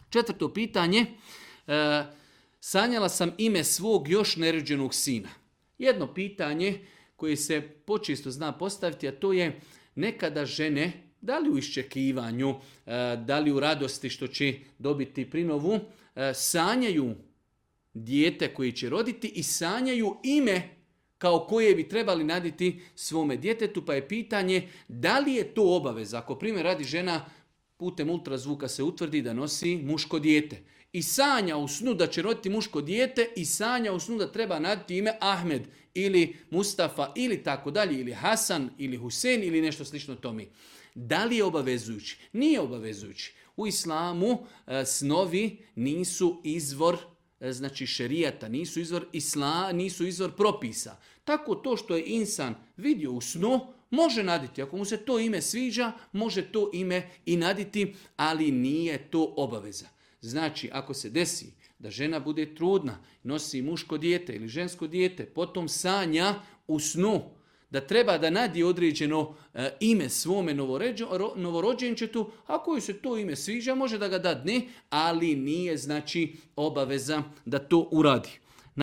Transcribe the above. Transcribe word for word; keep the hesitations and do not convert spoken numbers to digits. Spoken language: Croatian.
Četvrto pitanje, e, sanjala sam ime svog još nerođenog sina. Jedno pitanje koje se počesto zna postaviti, a to je nekada žene, da li u iščekivanju, e, da li u radosti što će dobiti prinovu, e, sanjaju dijete koje će roditi i sanjaju ime kao koje bi trebali naditi svome djetetu, pa je pitanje da li je to obaveza. Ako primjer radi žena, putem ultrazvuka se utvrdi da nosi muško dijete i sanja u snu da će roditi muško dijete i sanja u snu da treba naditi ime Ahmed ili Mustafa ili tako dalje, ili Hasan ili Husein ili nešto slično tome. Da li je obavezujući? Nije obavezujući. U islamu e, snovi nisu izvor znači šerijata, nisu izvor isla, nisu izvor propisa. Tako to što je insan vidio u snu, može naditi. Ako mu se to ime sviđa, može to ime i naditi, ali nije to obaveza. Znači, ako se desi da žena bude trudna, nosi muško dijete ili žensko dijete, potom sanja u snu da treba da nadi određeno e, ime svome novorođenčetu, ako joj se to ime sviđa, može da ga dadne, ali nije znači obaveza da to uradi.